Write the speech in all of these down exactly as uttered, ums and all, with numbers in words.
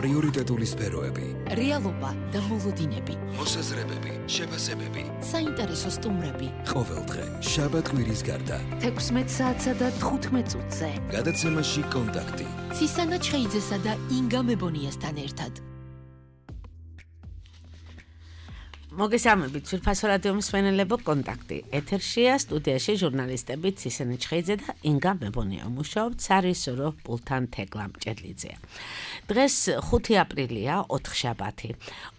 პრიორიტეტული სფეროები, რეალობა და მოლოდინები, მოსაზრებები, შეფასებები, საინტერესო სტუმრები. ყოველდღე შაბათ-კვირის გარდა თექვსმეტ საათსა და თხუთმეტ წუთზე. გადაცემაში კონტაქტი. ცისანა ჩხეიძესა და ინგა მებონიასთან ერთად. მოგესალმებით, ძვირფასო რადიო მსმენელებო, კონტაქტი. ეთერშია სტუდიაში ჟურნალისტები ცისანა ჩხეიძე და ინგა მებონია. მუშაობთ სარისორო პულთან თეკლა მჭედლიძეა. დღეს ხუთი აპრილია, ოთხშაბათი.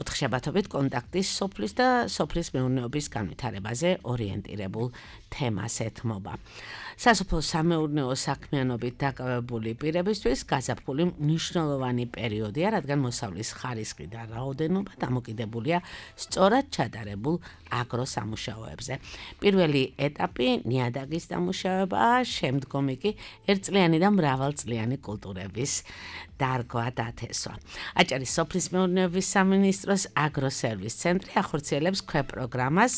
ოთხშაბათობით კონტაქტის სოფლის და სოფლის მეურნეობის განვითარებაზე ორიენტირებულ თემას ეთმობა. სასოფლო სამეურნეო საქმიანობით დაკავებული პირებისთვის გაზაფხული მნიშვნელოვანი პერიოდია, რადგან მოსავლის ხარისხი და რაოდენობა დამოკიდებულია სწორად ჩადარებულ აგროსამუშაოებზე. პირველი ეტაპი ნიადაგის დამუშავებაა, შემდგომი კი ერთწლიანი და მრავალწლიანი კულტურების დარგვა და თესვა. აჭარის სოფლის მეურნეობის სამინისტროს აგროსერვის ცენტრი ახორციელებს ქვეპროგრამას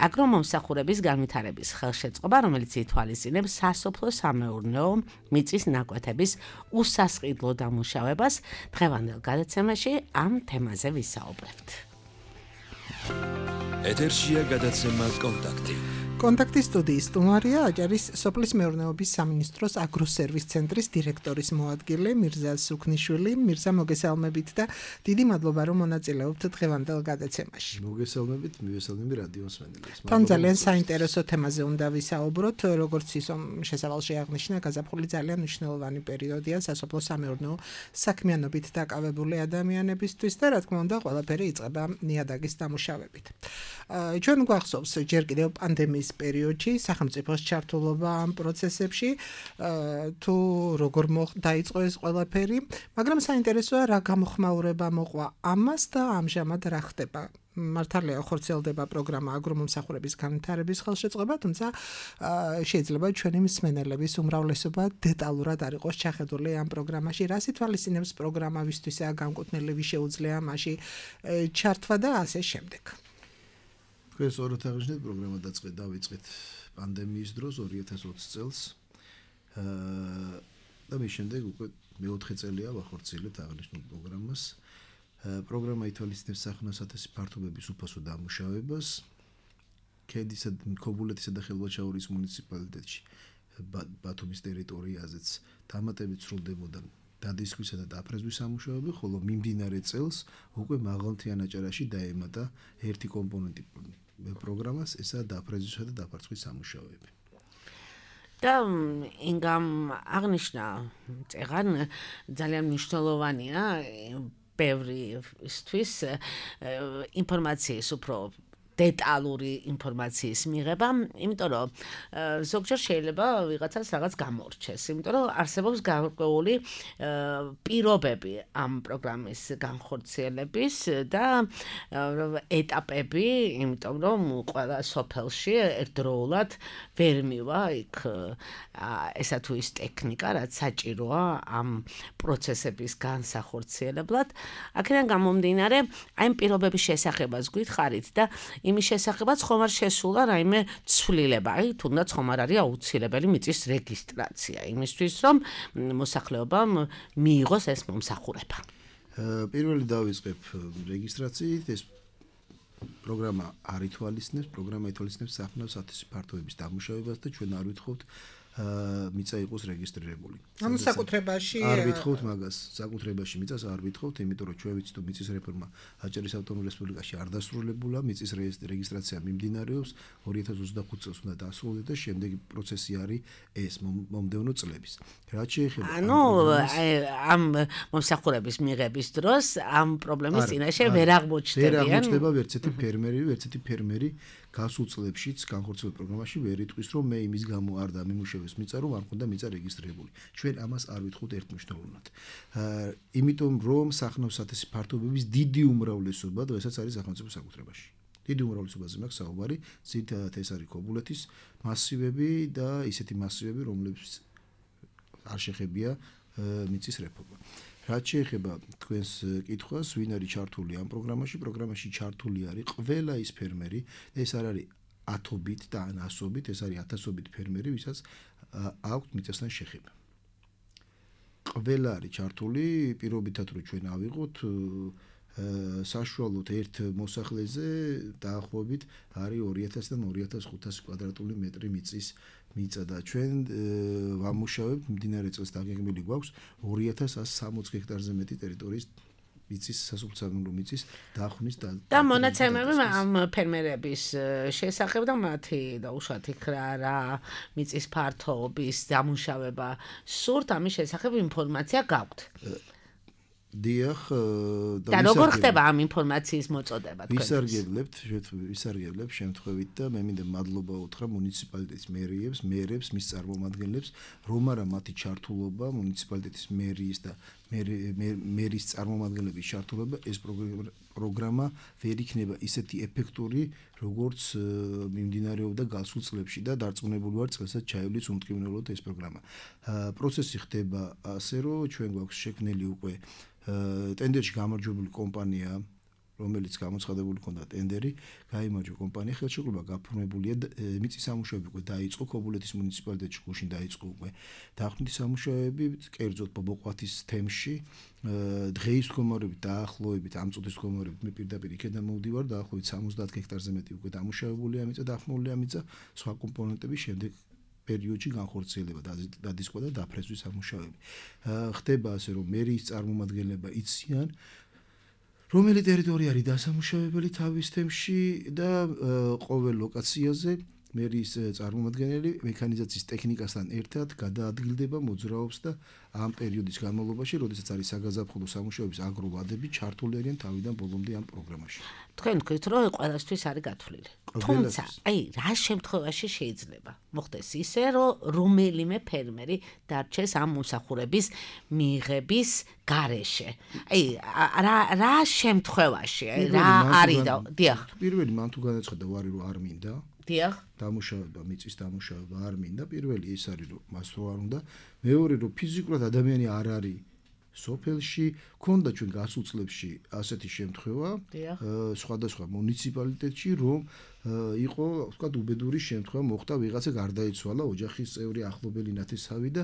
აგრომომსახურების განვითარების ხელშეწყობა, რომელიც ითვალისწინებს სასოფლო სამეურნეო მიწის ნაკვეთების უსასყიდლო დამუშავებას. დღევანდელ გადაცემაში ამ თემაზე ვისაუბრებთ. ეთერშია გადაცემა კონტაქტი. კონტაქტის სტუდიის სტუმარია აჭარის სოფლის მეურნეობის სამინისტროს აგროსერვის ცენტრის დირექტორის მოადგილე მირზა სუქნიშვილი. მირზა, მოგესალმებით და დიდი მადლობა, რომ მონაწილეობთ დღევანდელ გადაცემაში. მოგესალმებით, მივესალმები რადიო მსმენელებს. თან ძალიან საინტერესო თემაზე უნდა ვისაუბროთ, როგორც ისომ შესავალში აღნიშნა, გაზაფხული ძალიან მნიშვნელოვანი პერიოდია სასოფლო სამეურნეო საქმიანობით დაკავებული ადამიანებისთვის და რა თქმა უნდა, ყველაფერი იწყება ნიადაგის დამუშავებით. ჩვენ გვახსოვს ჯერ კიდევ პანდემიის პერიოდში სახელმწიფოს ჩართულობა ამ პროცესებში, თუ როგორ დაიწყო ეს ყველაფერი, მაგრამ საინტერესოა რა გამოხმაურება მოყვა ამას და ამჟამად რა ხდება. მართალია ხორციელდება პროგრამა აგრომომსახურების განვითარების ხელშეწყობა, თუმცა შეიძლება ჩვენი მსმენელების უმრავლესობა დეტალურად არ იყოს ჩახედული ამ პროგრამაში. რას ითვალისწინებს პროგრამა, ვისთვისაა განკუთვნილი, ვის შეუძლია მასში ჩართვა და ასე შემდეგ. ეს ორად აღნიშნეთ, პროგრამა დაწყეთ დავიწყეთ პანდემიის დროს ორი ათას ოცი წელს. და მის შემდეგ უკვე მეოთხე წელია ვახორციელებთ აღნიშნულ პროგრამას. პროგრამა ითვალისწინებს სახნავ-სათესი ფართობების უფასო დამუშავებას ქედისა, ქობულეთისა და ხელვაჩაურის მუნიციპალიტეტში ბათუმის ტერიტორიაზეც დამატებით სრულდებოდა დადისხვისა და დაფრეზვის სამუშაოები, ხოლო მიმდინარე წელს უკვე მაღალმთიან აჭარაში დაემატა ერთი კომპონენტი პროგრამას, ესაა დაფრეზვისა და დაფარცხვის სამუშაოები. და ინგამ აღნიშნა, წეგან ძალიან მნიშვნელოვანია ბევრისთვის ინფორმაციის უფრო დეტალური ინფორმაციის მიღება, იმიტომ რომ ზოგჯერ შეიძლება ვიღაცას რაღაც გამორჩეს, იმიტომ რომ არსებობს გარკვეული პირობები ამ პროგრამის განხორციელების და ეტაპები, იმიტომ რომ ყველა სოფელში ერთდროულად ვერ მივა იქ ესა თუ ის ტექნიკა, რაც საჭიროა ამ პროცესების განსახორციელებლად. აქედან გამომდინარე, აი ამ პირობების შესახებაც გითხარით და იმის შესახებაც ხომ არ შესულა რაიმე ცვლილება, აი თუნდაც ხომ არ არის აუცილებელი მიწის რეგისტრაცია იმისთვის, რომ მოსახლეობამ მიიღოს ეს მომსახურება. პირველი დავიწყებ რეგისტრაციით, ეს პროგრამა არ ითვალისწინებს, პროგრამა ითვალისწინებს სახნავ-სათესი ფართობების დამუშავებას და ჩვენ არ ვითხოვთ მიწა იყოს რეგისტრირებული. ანუ საკუთრებაში არ ვითხოვთ მაგას, საკუთრებაში მიწას არ ვითხოვთ, იმიტომ რომ ჩვენ ვიცით, რომ მიწის რეფორმა აჭარის ავტონომურ რესპუბლიკაში არ დასრულებულა, მიწის რეგისტრაცია მიმდინარეობს, ორი ათას ოცდახუთი წელს უნდა დასრულდეს და შემდეგი პროცესი არის ეს მომდევნო წლების. რაც შეეხება ანუ ამ მომსახურების მიღების დროს ამ პრობლემის წინაშე ვერ აღმოჩნდებიან. ვერ აღმოჩნდება ვერც ერთი ფერმერი, ვერც ერთი ფერმერი გასულ წლებშიც განხორციელებულ პროგრამაში ვერ იტყვის, რომ მე იმის გამო არ დამიმუშავეს მიწა, რომ არ მქონდა მიწა რეგისტრირებული. ჩვენ ამას არ ვითხოვთ ერთმნიშვნელოვნად. იმიტომ რომ სახნავ-სათესი ფართობების დიდი უმრავლესობა დღესაც არის სახელმწიფო საკუთრებაში. დიდი უმრავლესობაზე მაქვს საუბარი, ძირითადად ეს არის ქობულეთის მასივები და ისეთი მასივები, რომლებიც არ შეხებია მიწის რეფორმა. რაც შეეხება თქვენს კითხვას, ვინ არის ჩართული ამ პროგრამაში, პროგრამაში ჩართული არის ყველა ის ფერმერი, ეს არ არის ათობით და ან ასობით, ეს არის ათასობით ფერმერი, ვისაც აქვთ მიწასთან შეხება. ყველა არის ჩართული პირობითად რომ ჩვენ ავიღოთ საშუალოდ ერთ მოსახლეზე დაახლოებით არის ორი ათასიდან ორი ათას ხუთასი კვადრატული მეტრი მიწის მიწა და ჩვენ ვამუშავებთ მდინარე წყლის დაგეგმილი გვაქვს ორი ათას ასი სამოცი ჰექტარზე მეტი ტერიტორიის მიწის სასოფლო მიწის დახვნის და და მონაცემები ამ ფერმერების შესახებ და მათი დაუშვათ იქ რა მიწის ფართობის დამუშავება სურთ ამის შესახებ ინფორმაცია გაქვთ დიახ და როგორ ხდება ამ ინფორმაციის მოწოდება თქვენ ვისარგებლებთ ვისარგებლებთ შემთხვევით და მე მინდა მადლობა უთხრა მუნიციპალიტეტის მერიებს მერებს მის წარმომადგენლებს რომ არა მათი ჩართულობა მუნიციპალიტეტის მერიის და მერის წარმომადგენლების ჩართულობა ეს პროგრამა ვერ იქნება ისეთი ეფექტური როგორც მიმდინარეობდა გასულ წლებში და დარწმუნებული ვარ წელსაც ჩაივლის უმტკივნეულოდ ეს პროგრამა პროცესი ხდება ასე რომ ჩვენ გვაქვს შექმნილი უკვე ტენდერში გამარჯვებული კომპანია რომელიც გამოცხადებული ქონდა ტენდერი, გაიმარჯვა კომპანია, ხელშეკრულება გაფორმებულია, მიწის სამუშაოები უკვე დაიწყო, ქობულეთის მუნიციპალიტეტში გუშინ დაიწყო უკვე დაახლოებით სამუშაოები, კერძოდ ბობოყვათის თემში, დღეის მდგომარეობით დაახლოებით ამ წუთის მდგომარეობით მე პირდაპირ იქიდან მოვდივარ, დაახლოებით სამოცდაათ ჰექტარზე მეტი უკვე დამუშავებულია მიწა, დახმულია მიწა, სხვა კომპონენტები შემდეგ პერიოდში განხორციელება დადისკვა და დაფრესვის სამუშაოები. ხდება ასე რომ მერიის წარმომადგენლება იციან რომელი ტერიტორია არის დასამუშავებელი თავის თემში და ყოველ ლოკაციაზე მერიის წარმომადგენელი მექანიზაციის ტექნიკასთან ერთად გადაადგილდება მოძრაობს და ამ პერიოდის განმავლობაში, როდესაც არის საგაზაფხულო სამუშაოების აგროვადები ჩართული არიან თავიდან ბოლომდე ამ პროგრამაში. თქვენ თქვით, რომ ყველასთვის არის გათვლილი. თუმცა, აი, რა შემთხვევაში შეიძლება მოხდეს ისე, რომ რომელიმე ფერმერი დარჩეს ამ მოსახურების მიღების გარეშე. აი, რა რა შემთხვევაში, რა არის და დიახ. პირველი მან თუ განაცხადა ვარი რომ არ მინდა დიახ. დამუშავება, მიწის დამუშავება არ მინდა. პირველი ეს არის რომ მას რო არ უნდა. მეორე რომ ფიზიკურად ადამიანი არ არის სოფელში, ქონდა ჩვენ გასულ წლებში ასეთი შემთხვევა, სხვადასხვა მუნიციპალიტეტში, რომ იყო, ვთქვათ, უბედური შემთხვევა მოხდა, ვიღაცა გარდაიცვალა, ოჯახის წევრი ახლობელი ნათესავი და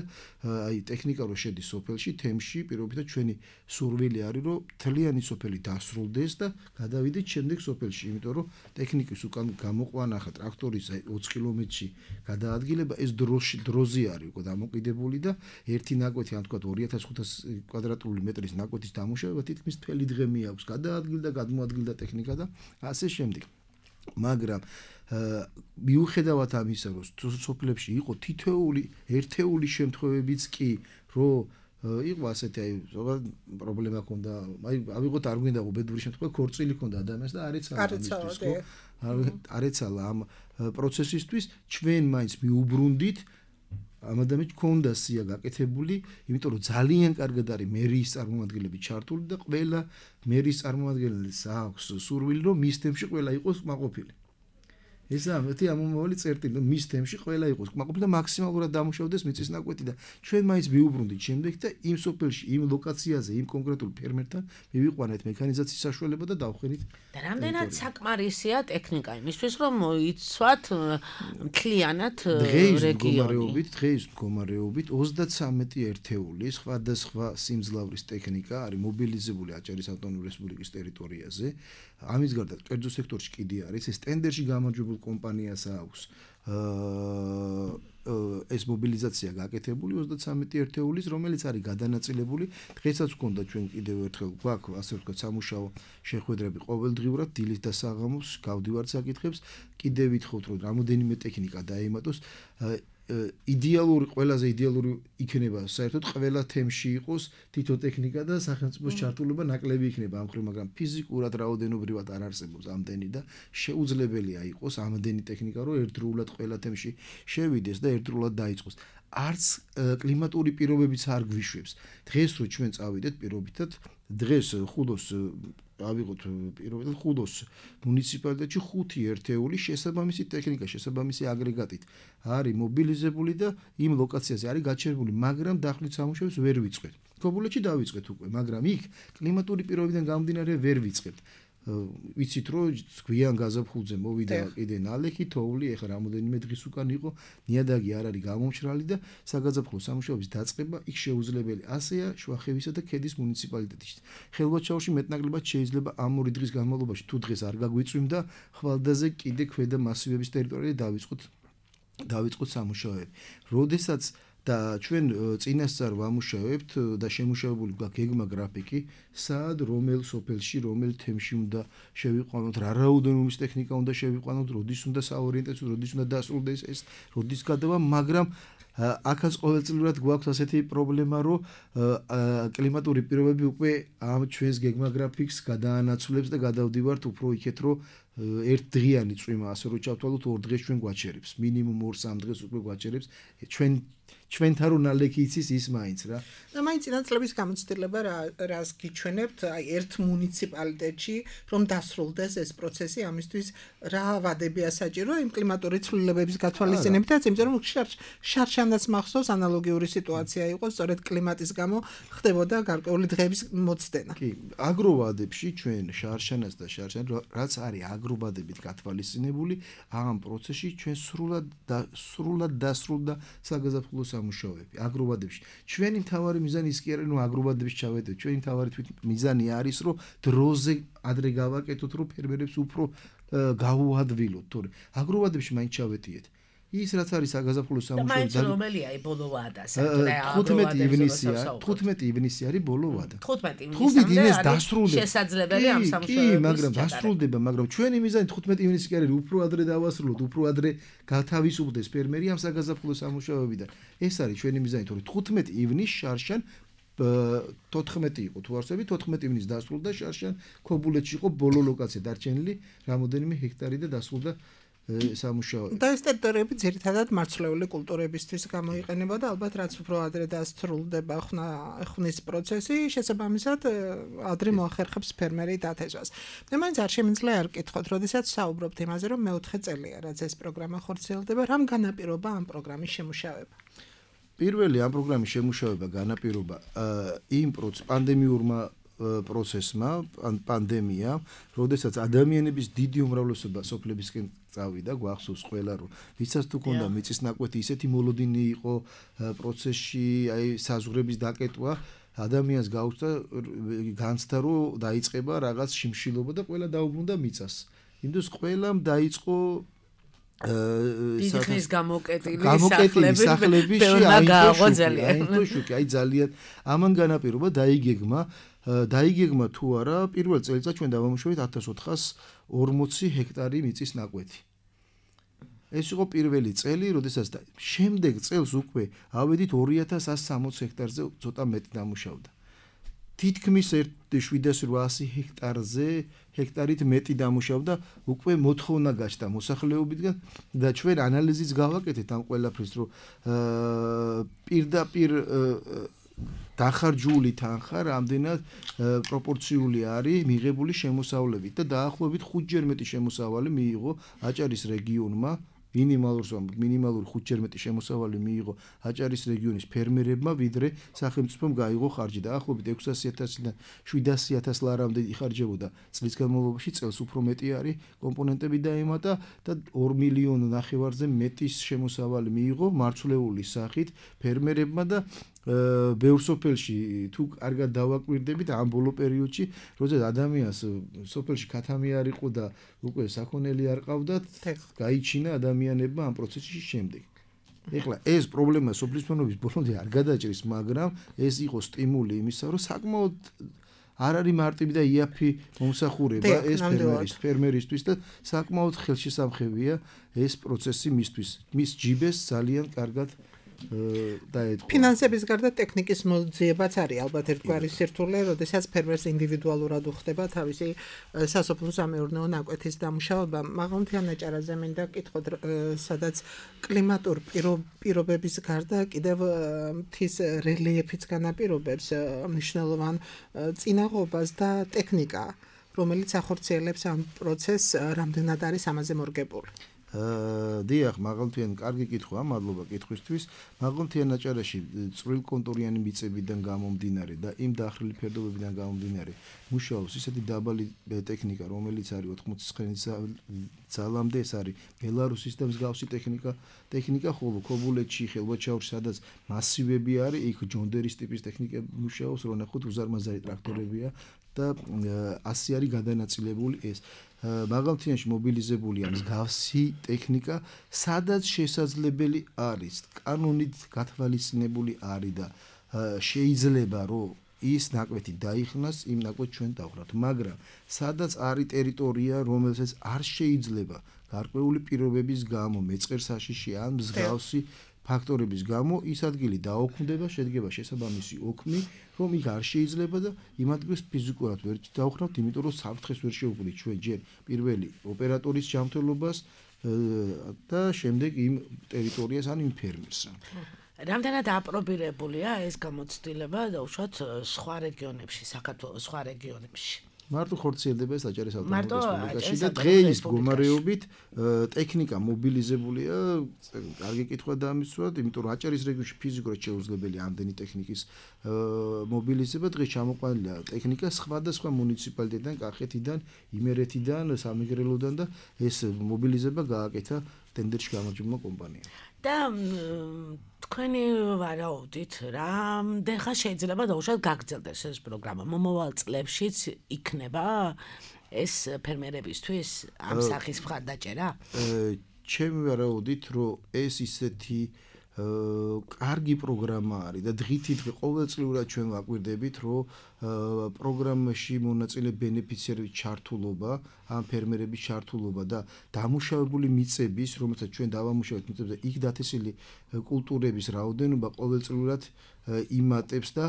აი ტექნიკა რო შედის სოფელში, თემში, პირობითად ჩვენი სურვილი არის, რომ მთლიანი სოფელი დასრულდეს და გადავიდეთ შემდეგ სოფელში, იმიტომ რომ ტექნიკის უკან გამოყვანა ხა ტრაქტორის ოცი კილომეტრში გადაადგილება ეს დროში დროზე არის უკვე დამოკიდებული და ერთი ნაკვეთი, ან ვთქვათ, ორი ათას ხუთასი კვადრატული მეტრის ნაკვეთის დამუშავება თითქმის მთელი დღე მიაქვს, გადაადგილდა, გადმოადგილდა ტექნიკა და ასე შემდეგ. მაგრამ მიუხედავად ამისა, რომ სოფლებში იყო თითოეული ერთეული შემთხვევებიც კი, რომ იყო ასეთი აი ზოგადად პრობლემა ჰქონდა, აი ავიღოთ არ გვინდა უბედური შემთხვევა, ქორწილი ჰქონდა ადამიანს და არ ეცალა ამისთვის, ხო? არ ეცალა ამ პროცესისთვის, ჩვენ მაინც მიუბრუნდით ამ ადამიანს ჰქონდა სია გაკეთებული, იმიტომ რომ ძალიან კარგად არის მერიის წარმომადგენლები ჩართული და ყველა მერიის წარმომადგენელს აქვს სურვილი, რომ მის თემში ყველა იყოს კმაყოფილი. ესაა მეთი ამომავალი წერტილი, რომ მის თემში ყველა იყოს კმაყოფილი და მაქსიმალურად დამუშავდეს მიწის ნაკვეთი და ჩვენ მაინც მიუბრუნდით შემდეგ და იმ სოფელში, იმ ლოკაციაზე, იმ კონკრეტულ ფერმერთან მივიყვანეთ მექანიზაციის საშუალება და დავხენით. და რამდენად საკმარისია ტექნიკა იმისთვის, რომ მოიცვათ მთლიანად რეგიონი. დღეის მდგომარეობით ოცდათსამეტი ერთეული სხვადასხვა სიმძლავრის ტექნიკა არის მობილიზებული აჭარის ავტონომიური რესპუბლიკის ტერიტორიაზე. ამის გარდა კერძო სექტორში კიდე არის ეს ტენდერში გამარჯვებულ კომპანიას აქვს ეს მობილიზაცია გაკეთებული ოცდათსამეტი ერთეულის, რომელიც არის გადანაწილებული. დღესაც გვქონდა ჩვენ კიდევ ერთხელ გვაქვს ასე ვთქვათ სამუშაო შეხვედრები ყოველდღიურად დილით და საღამოს გავდივართ საკითხებს. კიდევ ვითხოვთ რომ რამოდენიმე ტექნიკა დაემატოს. იდეალური ყველაზე იდეალური იქნება საერთოდ ყველა თემში იყოს თითო ტექნიკა და სახელმწიფოს ჩართულობა ნაკლები იქნება ამ ხრივ, მაგრამ ფიზიკურად რაოდენობრივად არ არსებობს ამდენი და შეუძლებელია იყოს ამდენი ტექნიკა, რომ ერთდროულად ყველა თემში შევიდეს და ერთდროულად დაიწყოს. არც კლიმატური პირობებიც არ გვიშვებს. დღეს რო ჩვენ წავიდეთ პირობითად, დღეს ხუდოს ავიღოთ პირობითად ხუდოს მუნიციპალიტეტში ხუთი ერთეული შესაბამისი ტექნიკა, შესაბამისი აგრეგატით არის მობილიზებული და იმ ლოკაციაზე არის გაჩერებული, მაგრამ დახვრით სამუშაოებს ვერ ვიწყებთ. ქობულეთში დავიწყეთ უკვე, მაგრამ იქ კლიმატური პირობებიდან გამომდინარე ვერ ვიწყებთ. ვიცით რომ გვიან გაზაფხულზე მოვიდა კიდე ნალექი თოვლი ეხლა რამოდენიმე დღის უკან იყო ნიადაგი არ არის გამომშრალი და საგაზაფხულო სამუშაოების დაწყება იქ შეუძლებელი ასეა შვახევისა და ქედის მუნიციპალიტეტში ხელვაჩაურში მეტნაკლებად შეიძლება ამ ორი დღის განმავლობაში თუ დღეს არ გაგვიწვიმდა ხვალდაზე კიდე ქვედა მასივების ტერიტორიაზე დავიწყოთ დავიწყოთ სამუშაოები როდესაც და ჩვენ წინასწარ ვამუშავებთ და შემუშავებული გვაქვს გეგმა გრაფიკი სად რომელ სოფელში რომელ თემში უნდა შევიყვანოთ რა რაოდენობის ტექნიკა უნდა შევიყვანოთ როდის უნდა საორიენტაციო როდის უნდა დასრულდეს ეს როდის გადავა მაგრამ აქაც ყოველწლიურად გვაქვს ასეთი პრობლემა რომ კლიმატური პირობები უკვე ამ ჩვენს გეგმა გრაფიკს გადაანაცვლებს და გადავდივართ უფრო იქეთ რომ ერთ დღიანი წვიმა ასე რომ ჩავთვალოთ ორ დღეს ჩვენ გვაჩერებს მინიმუმ ორ სამ დღეს უკვე გვაჩერებს ჩვენ ჩვენთან რო ნალექი იცის ის მაინც რა და მაინც ინაცლების გამოცდილება რას გიჩვენებთ აი ერთ მუნიციპალიტეტში რომ დასრულდეს ეს პროცესი ამისთვის რა ვადებია საჭირო იმ კლიმატური ცვლილებების გათვალისწინებითაც იმიტომ რომ შარშანაც მახსოვს ანალოგიური სიტუაცია იყო სწორედ კლიმატის გამო ხდებოდა გარკვეული დღეების მოცდენა კი აგროვადებში ჩვენ შარშანას და შარშან რაც არის აგროვადებით გათვალისწინებული ამ პროცესში ჩვენ სრულად და სრულად დასრულდა საგაზაფხულო სამუშაოები აგროვადებში ჩვენი მთავარი მიზანი ის კი არის რომ აგროვადებში ჩავედეთ ჩვენი მთავარი თვით მიზანი არის რომ დროზე ადრე გავაკეთოთ რომ ფერმერებს უფრო გაუადვილოთ თორე აგროვადებში მაინც ჩავედიეთ ის რაც არის საგაზაფხულო სამუშაოები და რომელია აი ბოლო ვადა თხუთმეტი ივნისია თხუთმეტი ივნისი არის ბოლო ვადა თხუთმეტი ივნისამდე დასრულდება შესაძლებელი ამ სამუშაოების კი მაგრამ დასრულდება მაგრამ ჩვენი მიზანი თხუთმეტი ივნისი კი არის უფრო ადრე დავასრულოთ უფრო ადრე გათავისუფლდეს ფერმერი ამ საგაზაფხულო სამუშაოებიდან ეს არის ჩვენი მიზანი თორე თხუთმეტი ივნისს შარშან თოთხმეტი იყო თუ არსები თოთხმეტი ივნისს დასრულდა შარშან ქობულეთში იყო ბოლო ლოკაცია დარჩენილი რამოდენიმე ჰექტარი და დასრულდა სამუშაოები. და ეს ტერიტორიები ძირითადად მარცვლეული კულტურებისთვის გამოიყენება და ალბათ რაც უფრო ადრე დასრულდება ხნის პროცესი, შესაბამისად ადრე მოახერხებს ფერმერი დათესვას. მე მაინც არ შემიძლია არ ვკითხოთ, როდესაც საუბრობთ იმაზე, რომ მეოთხე წელია, რაც ეს პროგრამა ხორციელდება, რამ განაპირობა ამ პროგრამის შემუშავება? პირველი ამ პროგრამის შემუშავება განაპირობა იმ პანდემიურმა პროცესმა, პანდემია, როდესაც ადამიანების დიდი უმრავლესობა სოფლებისკენ წავიდა, გვახსოვს ყველა რომ ვისაც თუ ქონდა მიწის ნაკვეთი, ისეთი მოლოდინი იყო პროცესში, აი საზღვრების დაკეტვა, ადამიანს გაუჩნდა განცდა რომ დაიწყება რაღაც შიმშილობა და ყველა დაუბრუნდა მიწას. იმდენს ყველამ დაიწყო დიდხნის გამოკეტილი სახლები აინტო შუქი აი ძალიან ამან განაპირობა დაიგეგმა დაიგეგმა თუ არა პირველ წელიწადს ჩვენ დავამუშავეთ ათას ოთხას ორმოცი ჰექტარი მიწის ნაკვეთი ეს იყო პირველი წელი როდესაც შემდეგ წელს უკვე ავედით ორი ათას ასი სამოცი ჰექტარზე ცოტა მეტი დამუშავდა თითქმის შვიდას რვაასი ჰექტარზე ჰექტარით მეტი დამუშავდა უკვე მოთხოვნა გაჩნდა მოსახლეობიდან და ჩვენ ანალიზიც გავაკეთეთ ამ ყველაფრის რომ პირდაპირ დახარჯული თანხა რამდენად პროპორციული არის მიღებული შემოსავლებით და დაახლოებით ხუთჯერ მეტი შემოსავალი მიიღო აჭარის რეგიონმა მინიმალური მინიმალური ხუთჯერ მეტი შემოსავალი მიიღო აჭარის რეგიონის ფერმერებმა ვიდრე სახელმწიფომ გაიღო ხარჯი და ახლობით ექვსასი ათასიდან შვიდასი ათას ლარამდე იხარჯებოდა წლის განმავლობაში წელს უფრო მეტი არის კომპონენტები დაემატა და ორ მილიონ ნახევარზე მეტის შემოსავალი მიიღო მარცვლეული სახით ფერმერებმა და ბევრ სოფელში თუ კარგად დავაკვირდებით ამ ბოლო პერიოდში როდესაც ადამიანს სოფელში ქათამი არ იყო და უკვე საქონელი არ ყავდათ გაიჩინა ადამიანებმა ამ პროცესში შემდეგ ეხლა ეს პრობლემა სოფლის მეურნეობის ბოლომდე არ გადაჭრის მაგრამ ეს იყო სტიმული იმისა რომ საკმაოდ არ არის მარტივი და იაფი მომსახურება ეს ფერმერის ფერმერისთვის და საკმაოდ ხელშესამხებია ეს პროცესი მისთვის მის ჯიბეს ძალიან კარგად დაეთქვა. ფინანსების გარდა ტექნიკის მოძიებაც არის ალბათ ერთგვარი სირთულე, როდესაც ფერმერს ინდივიდუალურად უხდება თავისი სასოფლო-სამეურნეო ნაკვეთის დამუშავება. მაღალმთიან აჭარაზე მინდა ვკითხოთ, სადაც კლიმატურ პირობების გარდა კიდევ მთის რელიეფიც განაპირობებს მნიშვნელოვან წინაღობას და ტექნიკა, რომელიც ახორციელებს ამ პროცესს, რამდენად არის ამაზე მორგებული. დიახ, მაღალმთიანი კარგი კითხვა, მადლობა კითხვისთვის. მაღალმთიან აჭარაში წვრილ კონტურიანი მიწებიდან გამომდინარე და იმ დახრილი ფერდობებიდან გამომდინარე მუშაობს ისეთი დაბალი ტექნიკა, რომელიც არის ოთხმოცდათხმეტ ძალამდე, ეს არის ბელარუსის და მსგავსი ტექნიკა, ტექნიკა ხოლო ქობულეთში, ხელვაჩაურში, სადაც მასივები არის, იქ ჯონდერის ტიპის ტექნიკა მუშაობს, რო ნახოთ უზარმაზარი ტრაქტორებია და ასე არის გადანაწილებული ეს. მაღალმთიანში მობილიზებულია მსგავსი ტექნიკა, სადაც შესაძლებელი არის, კანონით გათვალისწინებული არის და შეიძლება რომ ის ნაკვეთი დაიხნას, იმ ნაკვეთს ჩვენ დავხრათ, მაგრამ სადაც არის ტერიტორია, რომელსაც არ შეიძლება გარკვეული პირობების გამო, მეწყერ საშიში ან მსგავსი ფაქტორების გამო ის ადგილი დაოქმდება, შედგება შესაბამისი ოქმი, რომ იქ არ შეიძლება და იმ ადგილს ფიზიკურად ვერ დავხრავთ, იმიტომ რომ საფრთხეს ვერ შევუქმნით ჩვენ ჯერ პირველი ოპერატორის ჯანმრთელობას და შემდეგ იმ ტერიტორიას ან იმ ფერმერს. რამდენად აპრობირებულია ეს გამოცდილება და უშუალოდ სხვა რეგიონებში, საქართველოს სხვა რეგიონებში? მარტო ხორციელდება ეს აჭარის ავტონომიურ რესპუბლიკაში და დღეის მდგომარეობით ტექნიკა მობილიზებულია, კარგი კითხვა დამისვათ, იმიტომ რომ აჭარის რეგიონში ფიზიკურად შეუძლებელია ამდენი ტექნიკის მობილიზება, დღეს ჩამოყვანილია ტექნიკა სხვადასხვა მუნიციპალიტეტიდან, კახეთიდან, იმერეთიდან, სამეგრელოდან და ეს მობილიზება გააკეთა ტენდერში გამარჯვებულმა კომპანიამ. და თქვენი ვარაუდით, რამდენ ხანს შეიძლება დაუშვათ გაგრძელდეს ეს პროგრამა? მომავალ წლებშიც იქნება ეს ფერმერებისთვის ამ სახის მხარდაჭერა? ჩემი ვარაუდით, რომ ეს ისეთი კარგი პროგრამა არის და დღითი დღე ყოველწლიურად ჩვენ ვაკვირდებით, რომ პროგრამაში მონაწილე ბენეფიციარების ჩართულობა, ამ ფერმერების ჩართულობა და დამუშავებული მიწების, რომელსაც ჩვენ დავამუშავეთ მიწებზე, იქ დათესილი კულტურების რაოდენობა ყოველწლიურად იმატებს და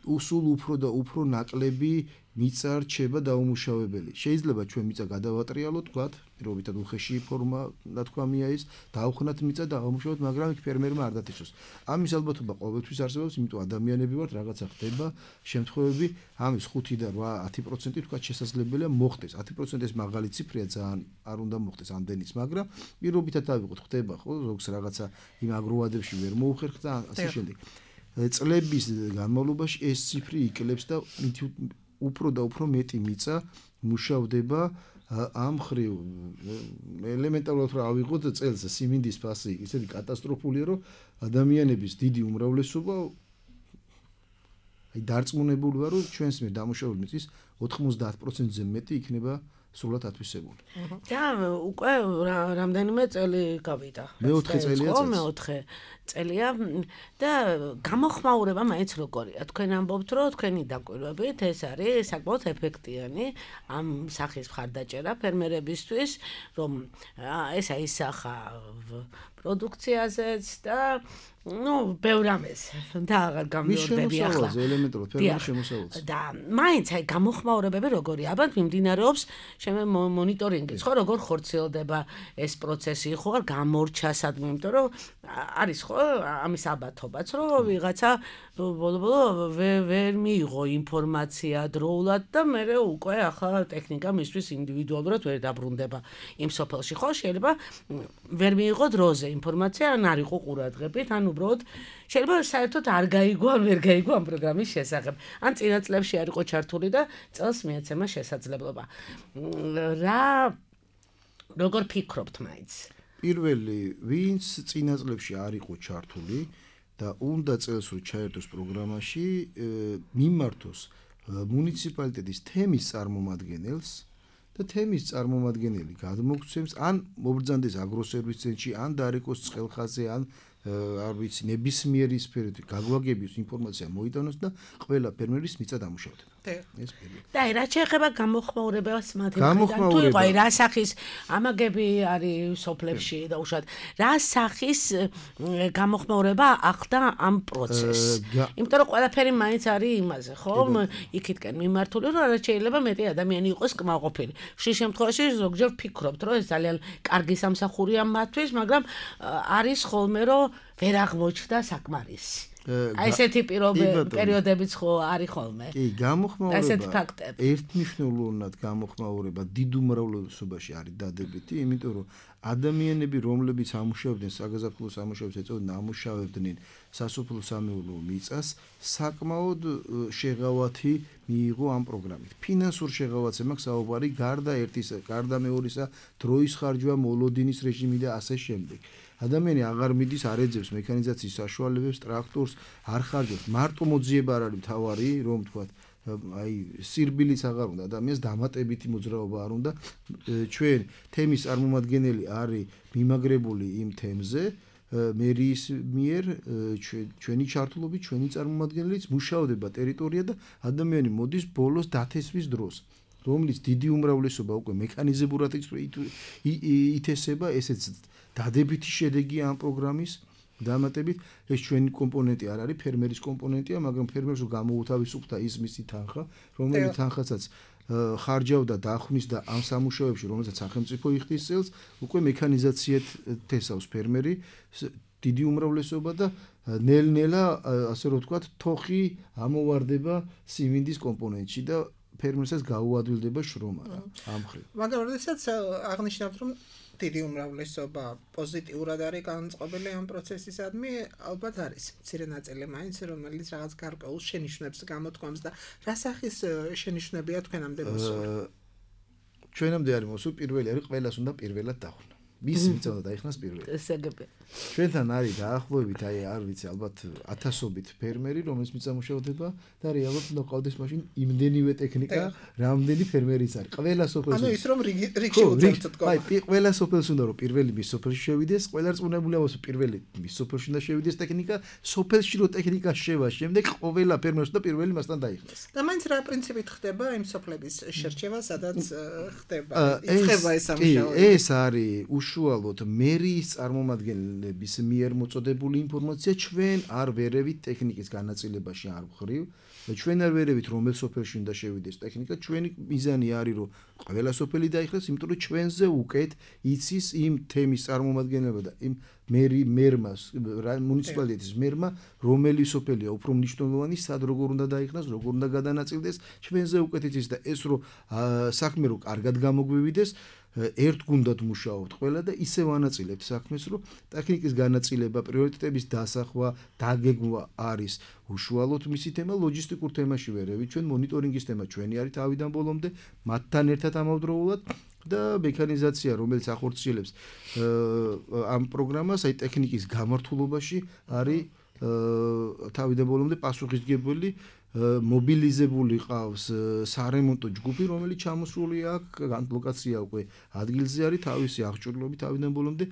სულ უფრო და უფრო ნაკლები მიწა რჩება დაუმუშავებელი. შეიძლება ჩვენ მიწა გადავატრიალოთ, ვთქვათ, პირობითად უხეში ფორმა, ნათქვამია ის, დავხვნათ მიწა და დავამუშავოთ, მაგრამ იქ ფერმერმა არ დათესოს. ამის ალბათობა ყოველთვის არსებობს, იმიტომ ადამიანები ვართ, რაღაცა ხდება, შემთხვევები, ამის ხუთი და ათი პროცენტი ვთქვათ შესაძლებელია მოხდეს. ათი პროცენტი ეს მაღალი ციფრია, ძალიან არ უნდა მოხდეს ამდენიც, მაგრამ პირობითად დავიყოთ, ხდება ხო, ზოგს რაღაცა იმ აგროვადებში ვერ მოუხერხ და ასე შემდეგ. წლების განმავლობაში ეს ციფრი იკლებს და უფრო და უფრო მეტი მიწა მუშავდება ამ ხრივ. ელემენტარულად რა ავიღოთ წელს სიმინდის ფასი ისეთი კატასტროფულია, რომ ადამიანების დიდი უმრავლესობა აი დარწმუნებული ვარ, რომ ჩვენს მიერ დამუშავებული მიწის ოთხმოცდაათ პროცენტზე მეტი იქნება სრულად ათვისებული. და უკვე რამდენიმე წელი გავიდა. მეოთხე წელია წელს. მეოთხე წელია და გამოხმაურება მაინც როგორია? თქვენ ამბობთ, რომ თქვენი დაკვირვებით ეს არის საკმაოდ ეფექტიანი ამ სახის მხარდაჭერა ფერმერებისთვის, რომ ეს აისახა პროდუქციაზეც და ну, ბევრ ამას და აღარ გამიორდები ახლა. ელემენტარულად ფერმერის შემოსავალს. და მაინც აი გამოხმაურებები როგორია? ალბათ მიმდინარეობს შემე მონიტორინგიც, ხო, როგორ ხორციელდება ეს პროცესი, ხო, არ გამორჩა სადმე, იმიტომ რომ არის ხო ამის ალბათობაც, რომ ვიღაცა ბოლო-ბოლო ვერ მიიღო ინფორმაცია დროულად და მე უკვე ახლა ტექნიკა მისთვის ინდივიდუალურად ვერ დაბრუნდება იმ სოფელში, ხო, შეიძლება ვერ მიიღო დროზე ინფორმაცია, ან არ იყო ყურადღებით, ან უბრალოდ შეიძლება საერთოდ არ გაიგო, ან ვერ გაიგო ამ პროგრამის შესახებ. ან წინა წლებში არ იყო ჩართული და წელს მიეცემა შესაძლებლობა. რა როგორ ფიქრობთ მაინც? პირველი, ვინც წინა წლებში არ იყო ჩართული და უნდა წელს რომ ჩაერთოს პროგრამაში, მიმართოს მუნიციპალიტეტის თემის წარმომადგენელს და თემის წარმომადგენელი გადმოგცემს, ან მობრძანდეს აგროსერვის ცენტრში, ან დარეკოს ცხელხაზე, ან არ ვიცი, ნებისმიერი სფეროთი გაგვაგებიოს ინფორმაცია მოიტანოს და ყველა ფერმერის მიწა დამუშავდება. ეს პირველი. და რა შეეხება გამოხმაურებას მათ მხრიდან? თუ იყო რა სახის ამაგები არის სოფლებში და უშუალოდ რა სახის გამოხმაურება ახდა ამ პროცესს? იმიტომ რომ ყველაფერი მაინც არის იმაზე, ხო? იქითკენ მიმართული, რომ რა შეიძლება მეტი ადამიანი იყოს კმაყოფილი. ხშირ შემთხვევაში ზოგჯერ ვფიქრობთ, რომ ეს ძალიან კარგი სამსახურია მათთვის, მაგრამ არის ხოლმე რომ ვერ აღმოჩნდა საკმარისი. აი ესეთი პერიოდებიც ხო არის ხოლმე. კი, გამოხმაურება. ესეთი ფაქტები. ერთმნიშვნელოვნად გამოხმაურება დიდ უმრავლესობაში არის დადებითი, იმიტომ რომ ადამიანები, რომლებიც ამუშავებდნენ საგაზაფხულო სამუშაოებს ეწოდნენ, ამუშავებდნენ სასოფლო-სამეურნეო მიწას, საკმაოდ შეღავათი მიიღო ამ პროგრამით. ფინანსურ შეღავათზე მაქვს საუბარი, გარდა ერთისა, გარდა მეორისა, დროის ხარჯვა, მოლოდინის რეჟიმი და ასე შემდეგ. ადამიანი აღარ მიდის, არ ეძებს მექანიზაციის საშუალებებს, ტრაქტორს არ ხარჯავს. მარტო მოძიება არ არის მთავარი, რომ თქვა, აი სირბილიც აღარ უნდა, ადამიანს დამატებითი მოძრაობა არ უნდა. ჩვენ თემის წარმომადგენელი არის მიმაგრებული იმ თემზე, მერიის მიერ ჩვენი ჩართულობით, ჩვენი წარმომადგენლიც მუშაობდება ტერიტორია და ადამიანი მოდის ბოლოს დათესვის დროს. რომლის დიდი უმრავლესობა უკვე მექანიზებურად ითესება, ესეც დადებითი შედეგია ამ პროგრამის დამატებით. ეს ჩვენი კომპონენტი არ არის, ფერმერის კომპონენტია, მაგრამ ფერმერს გამოუთავისუფლდა ის მისი თანხა, რომელიც თანხასაც ხარჯავდა დახვნის და ამ სამუშაოებში, რომელსაც სახელმწიფო იხდის წელს, უკვე მექანიზაციად თესავს ფერმერი, დიდი უმრავლესობა და ნელ-ნელა, ასე რომ ვთქვათ, თოხი ამოვარდება სიმინდის კომპონენტში და ფერმერსაც გაუადვილდება შრომა რა ამ ხრივ. მაგრამ როდესაც აღნიშნავთ, რომ დიდი უმრავლესობა პოზიტიურად არის განწყობილი ამ პროცესისადმი, ალბათ არის მცირე ნაწილი მაინც, რომელიც რაღაც გარკვეულ შენიშვნებს გამოთქვამს და რა სახის შენიშვნებია თქვენამდე მოსული? ჩვენამდე არის მოსული, პირველი არის ყველას უნდა პირველად დახვნა. მის მიწა უნდა დაიხნას პირველად. ესეგები. ჩვენთან არის დაახლოებით, აი არ ვიცი, ალბათ ათასობით ფერმერი, რომელიც მიწა მუშაობდება და რეალურად უნდა ყავდეს მაშინ იმდენივე ტექნიკა, რამდენი ფერმერიც არის. ყველა სოფელში. ანუ ის რომ რიგში უწევთ თქო. აი, ყველა სოფელში უნდა რომ პირველი მის სოფელში შევიდეს, ყველა რწმუნებული ამას პირველი მის სოფელში უნდა შევიდეს ტექნიკა, სოფელში რო ტექნიკა შევა, შემდეგ ყველა ფერმერს უნდა პირველი მასთან დაიხნას. და მაინც რა პრინციპით ხდება იმ სოფლების შერჩევა, სადაც ხდება? იწყება ეს სამუშაო. ეს არის უშუალოდ მერიის წარმომადგენლების მიერ მოწოდებული ინფორმაცია, ჩვენ არ ვერევით ტექნიკის განაწილებაში არ ვხრივ. ჩვენ არ ვერევით რომელ სოფელში უნდა შევიდეს ტექნიკა, ჩვენი მიზანი არის რომ ყველა სოფელი დაიხლას, იმიტომ რომ ჩვენზე უკეთ იცის იმ თემის წარმომადგენლობა და იმ მერი მერმას, მუნიციპალიტეტის მერმა, რომელი სოფელია უფრო მნიშვნელოვანი, სად როგორ უნდა დაიხნას, როგორ უნდა გადანაწილდეს, ჩვენზე უკეთ იცის და ეს რომ საქმე რო კარგად გამოგვივიდეს, ერთ გუნდად მუშაობთ ყველა და ისევ ანაწილებთ საქმეს, რომ ტექნიკის განაწილება, პრიორიტეტების დასახვა, დაგეგმვა არის უშუალოდ მისი თემა, ლოჯისტიკურ თემაში ვერევით, ჩვენ მონიტორინგის თემა ჩვენი არის თავიდან ბოლომდე, მათთან ერთად ამავდროულად და მექანიზაცია, რომელიც ახორციელებს ამ პროგრამას, აი ტექნიკის გამართულობაში არის თავიდან ბოლომდე პასუხისმგებელი. მობილიზებული ყავს სარემონტო ჯგუფი, რომელიც ჩამოსული აქვს, ლოკაცია უკვე ადგილზე არის, თავისი აღჭურვილობით თავიდან ბოლომდე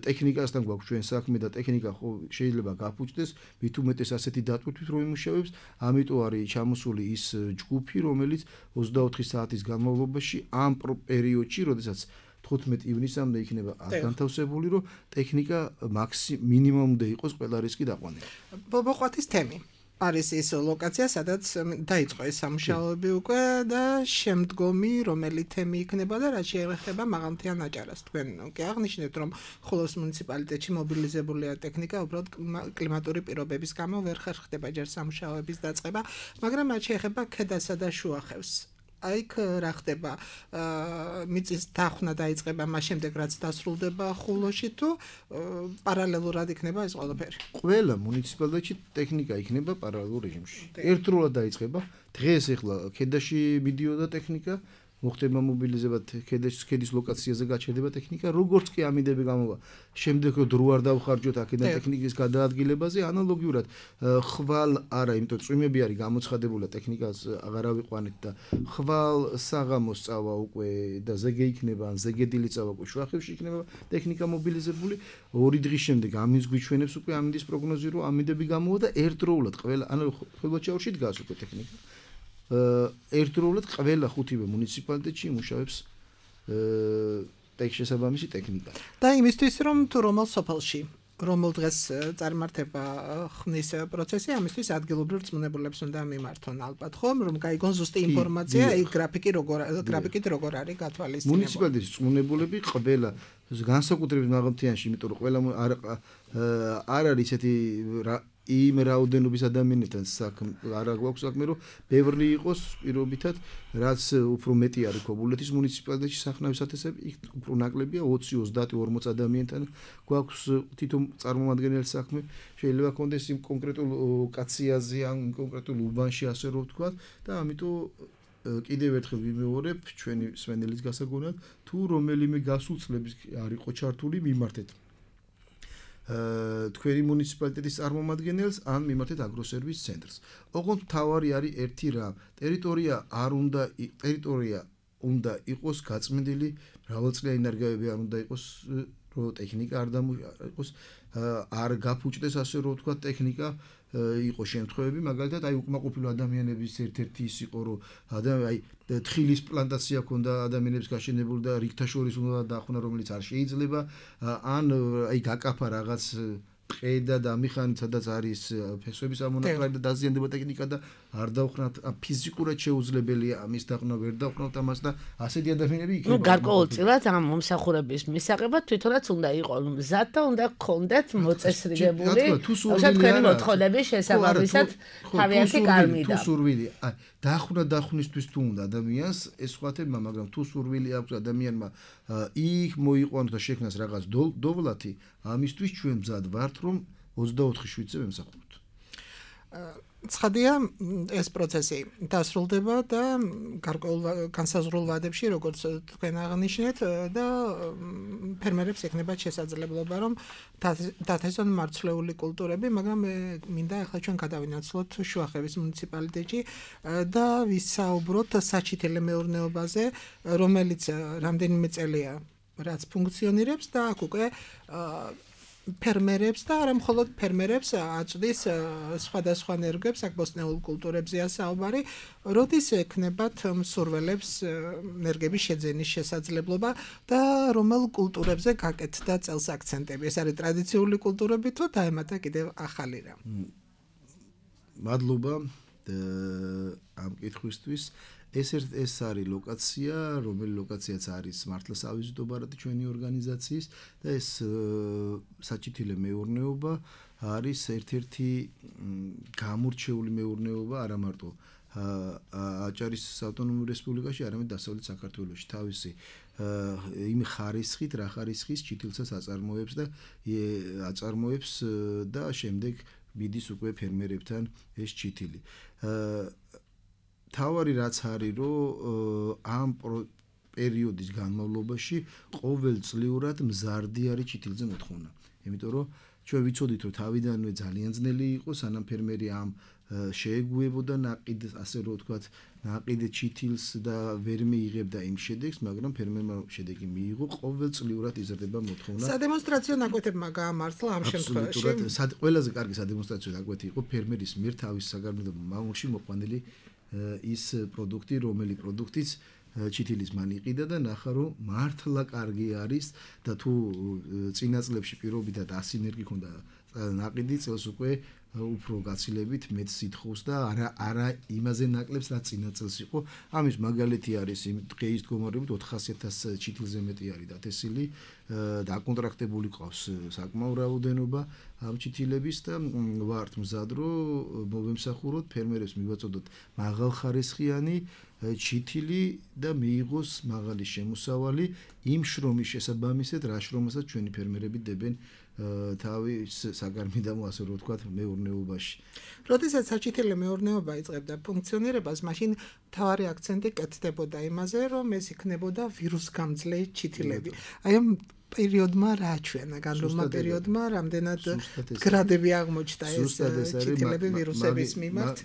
ტექნიკასთან გვაქვს ჩვენ საქმე და ტექნიკა შეიძლება გაფუჭდეს, მით უმეტეს ასეთი დატვირთვით რომ იმუშავებს, ამიტომ არის ჩამოსული ის ჯგუფი, რომელიც ოცდაოთხი საათის განმავლობაში ამ პერიოდში, როდესაც თხუთმეტი ივნისამდე იქნება განთავსებული, რომ ტექნიკა მინიმუმამდე იყოს ყველა რისკი დაყვანილი. ბობოყვათის თემი არის ის ლოკაცია, სადაც დაიწყო ეს სამუშაოები უკვე და შემდგომი რომელი თემი იქნება და რაც შეეხება მაღალმთიან აჭარას. თქვენ კი აღნიშნეთ, რომ ხოლოს მუნიციპალიტეტში მობილიზებულია ტექნიკა, უბრალოდ კლიმატური პირობების გამო ვერ ხერხდება ჯერ სამუშაოების დაწყება, მაგრამ რაც შეეხება ქედასა და შუახევს. აიქ რა ხდება? მიწის დახვრა დაიწყება მას შემდეგ, რაც დასრულდება ხულოში თუ პარალელურად იქნება ეს ყველაფერი? ყველა მუნიციპალიტეტში ტექნიკა იქნება პარალელურ რეჟიმში. ერთდროულად დაიწყება. დღეს ახლა ქედაში მიდიოდა ტექნიკა, მოხდება მობილიზება ქედის ქედის ლოკაციაზე გაჩერდება ტექნიკა, როგორც კი ამინდები გამოვა. შემდეგ დრო არ დავხარჯოთ აქედან ტექნიკის გადაადგილებაზე, ანალოგიურად ხვალ არა, იმიტომ წვიმები არის გამოცხადებული, ტექნიკას აღარ ავიყვანეთ და ხვალ საღამოს წავა უკვე და ზეგე იქნება, ან ზეგედილი წავა უკვე შუახევში იქნება ტექნიკა მობილიზებული. ორი დღის შემდეგ ამინდს გვიჩვენებს უკვე ამინდის პროგნოზი, რომ ამინდები გამოვა და ერთდროულად ყველა, ანუ ხელბაჩაურში დგას უკვე ტექნიკა. ერთდროულად ყველა ხუთივე მუნიციპალიტეტში იმუშავებს ტექშესაბამისი ტექნიკა. და იმისთვის რომ თუ რომელ სოფელში, რომელ დღეს წარმართება ხნის პროცესი, ამისთვის ადგილობრივ რწმუნებულებს უნდა მიმართონ ალბათ, ხომ, რომ გაიგონ ზუსტი ინფორმაცია, აი გრაფიკი როგორ გრაფიკით როგორ არის გათვალისწინებული. მუნიციპალიტეტის რწმუნებულები ყველა განსაკუთრებით მაღალმთიანში, იმიტომ რომ ყველა არ არის ესეთი იმ რაოდენობის ადამიანებთან საქმე არა გვაქვს საქმე, რომ ბევრი იყოს პირობითად, რაც უფრო მეტი არის ქობულეთის მუნიციპალიტეტში სახნავის ათასები, იქ უფრო ნაკლებია ოცი, ოცდაათი, ორმოცი ადამიანთან გვაქვს თვითონ წარმომადგენელი საქმე. შეიძლება კონდეს იმ კონკრეტულ კაციაზე ან კონკრეტულ უბანში ასე რომ ვთქვა და ამიტომ კიდევ ერთხელ ვიმეორებ ჩვენი სვენელის გასაგონად, თუ რომელიმე გასულ წლების არ იყო ჩართული მიმართეთ თქვენი მუნიციპალიტეტის წარმომადგენელს ან მიმართეთ აგროსერვის ცენტრს. ოღონდ თავარი არის ერთი რამ, ტერიტორია არ უნდა ტერიტორია უნდა იყოს გაწმენდილი, მრავალწლიანი ნარგავები არ უნდა იყოს, რომ ტექნიკა არ იყოს, არ გაფუჭდეს ასე რომ ვთქვა ტექნიკა იყო შემთხვევები, მაგალითად აი უკმაყოფილო ადამიანების ერთ-ერთი ის იყო, რომ აი თხილის პლანტაცია ქონდა ადამიანებს გაშენებული და რიგთა შორის უნდა დაახუნა, რომელიც არ შეიძლება, ან აი გაკაფა რაღაც ყედა და მიხანით, სადაც არის ფესვების ამონაკლარი და დაზიანდება ტექნიკა და არ დავხრათ, ფიზიკურად შეუძლებელია ამის დაყრდნობა, ვერ დავხრათ ამას და ასეთი ადამიანები იქნება. ნუ გარკვეულწილად ამ მომსახურების მისაღებად თვითონაც უნდა იყოს მზად და უნდა გქონდეთ მოწესრიგებული თქვენი მოთხოვნების შესაბამისად თავიანთი კარმიდა. თუ სურვილი, აი დაახუნა დახვნისთვის თუ უნდა ადამიანს, ეს სხვა თემა, მაგრამ თუ სურვილი აქვს ადამიანმა იქ მოიყვანოს და შექმნას რაღაც დოვლათი, ამისთვის ჩვენ მზად ვართ, რომ ოცდაოთხი შვიდზე ვემსახუროთ. ცხადია, ეს პროცესი დასრულდება და გარკვეულ განსაზღვრულ ვადებში, როგორც თქვენ აღნიშნეთ, და ფერმერებს ექნებათ შესაძლებლობა, რომ დათესონ მარცვლეული კულტურები, მაგრამ მინდა ახლა ჩვენ გადავინაცვლოთ შუახევის მუნიციპალიტეტში და ვისაუბროთ საჩითილე მეურნეობაზე, რომელიც რამდენიმე წელია რაც ფუნქციონირებს და აქ უკვე ფერმერებს და არა მხოლოდ ფერმერებს აწვდის სხვადასხვა ნერგებს, აქ ბოსტნეულ კულტურებზეა საუბარი, როდის ექნებათ მსურველებს ნერგების შეძენის შესაძლებლობა და რომელ კულტურებზე გაკეთდა წელს აქცენტები. ეს არის ტრადიციული კულტურები თუ დაემატა კიდევ ახალი რამ? მადლობა ამ კითხვისთვის. ეს ეს არის ლოკაცია, რომელი ლოკაციაც არის მართლა სავიზიტო ბარათი ჩვენი ორგანიზაციის და ეს საჩითილე მეურნეობა არის ერთ-ერთი გამორჩეული მეურნეობა არა მარტო აჭარის ავტონომურ რესპუბლიკაში, არამედ დასავლეთ საქართველოში. თავისი იმ ხარისხით, რა ხარისხის ჩითილსაც აწარმოებს და აწარმოებს და შემდეგ მიდის უკვე ფერმერებთან ეს ჩითილი. თავარი რაც არის, რომ ამ პერიოდის განმავლობაში ყოველწლიურად მზარდი არის ჩითილზე მოთხოვნა. იმიტომ რომ ჩვენ ვიცოდით, რომ თავიდანვე ძალიან ძნელი იყო, სანამ ფერმერი ამ შეეგუებოდა ნაყიდ, ასე რომ ვთქვათ, ნაყიდ ჩითილს და ვერ მიიღებდა იმ შედეგს, მაგრამ ფერმერმა შედეგი მიიღო, ყოველწლიურად იზრდება მოთხოვნა. სადემონსტრაციო ნაკვეთებმა გაამართლა ამ შემთხვევაში. ყველაზე კარგი სადემონსტრაციო ნაკვეთი იყო ფერმერის მიერ თავის საგანმანათლებლო მამულში მოყვანილი ის პროდუქტი, რომელი პროდუქტიც ჩითილის მან იყიდა და ნახა, რომ მართლა კარგი არის და თუ წინა წლებში პირობითად ასი ნერგი ქონდა ნაყიდი, წელს უკვე უფრო გაცილებით მეც სითხოს და არა არა იმაზე ნაკლებს, რაც წინა წელს იყო. ამის მაგალითი არის იმ დღეის მდგომარეობით ოთხასი ათასი ჩითილზე მეტი არის დათესილი, დაკონტრაქტებული ყავს საკმაო რაოდენობა ამ ჩითილების და ვართ მზად, რომ მოვემსახუროთ, ფერმერებს მივაწოდოთ მაღალხარისხიანი ჩითილი და მიიღოს მაღალი შემოსავალი იმ შრომის შესაბამისად, რა შრომასაც ჩვენი ფერმერები დებენ თავის საგარმიდამო, ასე რომ ვთქვათ, მეურნეობაში. როდესაც საჩითილე მეურნეობა იწყებდა ფუნქციონირებას, მაშინ მთავარი აქცენტი კეთდებოდა იმაზე, რომ ეს იქნებოდა ვირუსგამძლე ჩითილები. აი ამ პერიოდმა რა აჩვენა, განვლილმა პერიოდმა რამდენად გრადები აღმოჩნდა ეს ჩითილები ვირუსების მიმართ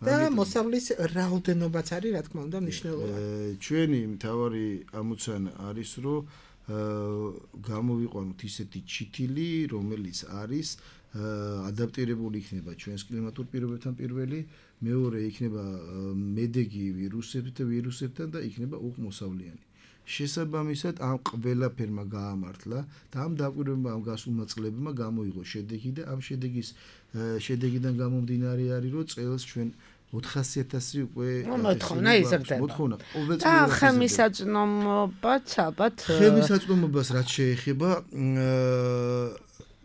და მოსავლის რაოდენობაც არის, რა თქმა უნდა, მნიშვნელოვანი. ჩვენი მთავარი ამოცანა არის, რომ გამოვიყვანოთ ისეთი ჩითილი, რომელიც არის ადაპტირებული იქნება ჩვენს კლიმატურ პირობებთან პირველი, მეორე იქნება მედეგი ვირუსებთან ვირუსებთან და იქნება უხმოსავლიანი. შესაბამისად ამ ყველაფერმა გაამართლა და ამ დაკვირვებმა ამ გასულმა წლებმა გამოიღო შედეგი და ამ შედეგის შედეგიდან გამომდინარე არის, რომ წელს ჩვენ ოთხასი ათასი უკვე მოთხოვნა იზრდება. მოთხოვნა და ხემისაწვდომობაც ალბათ ხემისაწვდომობას რაც შეეხება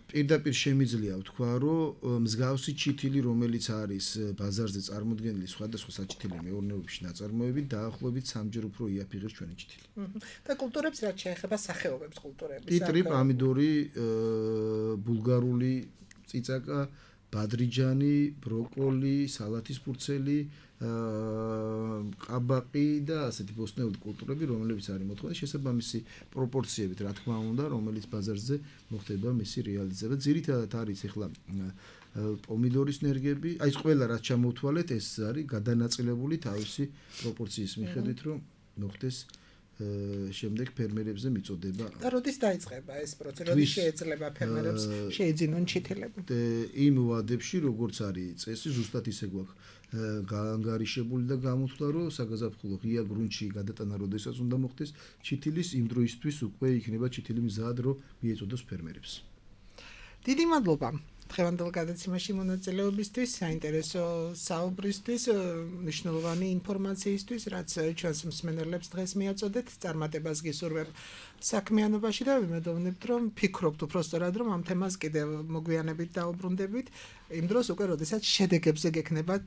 პირდაპირ შემიძლია ვთქვა, რომ მსგავსი ჩითილი, რომელიც არის ბაზარზე წარმოდგენილი სხვადასხვა საჩითილე მეურნეობებში ნაწარმოებით, დაახლოებით სამჯერ უფრო იაფიღებს ჩვენი ჩითილი. და კულტურებს რაც შეეხება სახეობებს კულტურების. პიტრი, პამიდორი, ბულგარული წიწაკა, ბადრიჯანი, ბროკოლი, სალათის ფურცელი, ყაბაყი და ასეთი ბოსტნეული კულტურები, რომლებიც არის მოთხოვნა შესაბამისი პროპორციებით, რა თქმა უნდა, რომელიც ბაზარზე მოხდება მისი რეალიზება. ძირითადად არის ახლა პომიდორის ნერგები, აი ეს ყველა რაც ჩამოვთვალეთ, ეს არის გადანაწილებული თავისი პროპორციის მიხედვით, რომ მოხდეს შემდეგ ფერმერებზე მიწოდება. და როდის დაიწყება ეს პროცესი? როდის შეეძლება ფერმერებს შეეძინონ ჩითილები? იმ ვადებში, როგორც არის წესი, ზუსტად ისე გვაქვს გაანგარიშებული და გამოთვლა, რომ საგაზაფხულო ღია გრუნტში გადატანა როდესაც უნდა მოხდეს ჩითილის, იმ დროისთვის უკვე იქნება ჩითილი მზად, რომ მიეწოდოს ფერმერებს. დიდი მადლობა დღევანდელ გადაცემაში მონაწილეობისთვის, საინტერესო საუბრისთვის, მნიშვნელოვანი ინფორმაციისთვის, რაც ჩვენს მსმენელებს დღეს მიაწოდეთ. წარმატებას გისურვებ საქმიანობაში და ვიმედოვნებთ, რომ ფიქრობთ უბრალოდ, რომ ამ თემას კიდევ მოგვიანებით დაუბრუნდებით, იმ დროს უკვე როდესაც შედეგებზე გექნებათ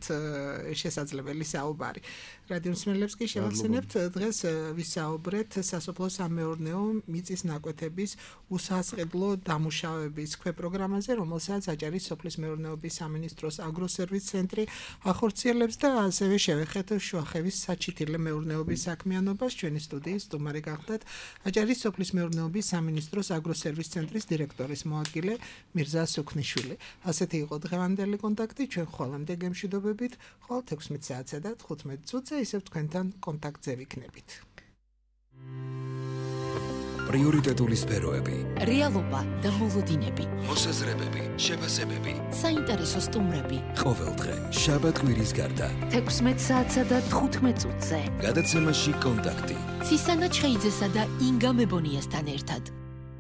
შესაძლებელი საუბარი. რადიო მსმენელებს კი შევახსენებთ, დღეს ვისაუბრეთ სასოფლო-სამეურნეო მიწის ნაკვეთების უსასყიდლო დამუშავების ქვეპროგრამაზე, რომელსაც აჭარის სოფლის მეურნეობის სამინისტროს აგროსერვის ცენტრი ახორციელებს და ასევე შევეხეთ შუახევის საჩითილე მეურნეობის საქმიანობას. ჩვენი სტუდიის სტუმარი გახდათ აჭარის სოფლის მეურნეობის სამინისტროს აგროსერვის ცენტრის დირექტორის მოადგილე მირზა სუქნიშვილი. ასეთი იყო დღევანდელი კონტაქტი. ჩვენ ხოლმე გემშვიდობებით, ყოველ ექვსმეტ საათსა და თხუთმეტ წუთზე ისევ თქვენთან კონტაქტზე ვიქნებით. პრიორიტეტული სფეროები, რეალობა და მოლოდინები, მოსაზრებები, შეფასებები, საინტერესო სტუმრები. ყოველდღე, შაბათ-კვირის გარდა. ექვსმეტ საათსა და თხუთმეტ წუთზე. გადაცემაში კონტაქტი. ცისანა ჩხეიძესა და ინგა მებონიასთან ერთად.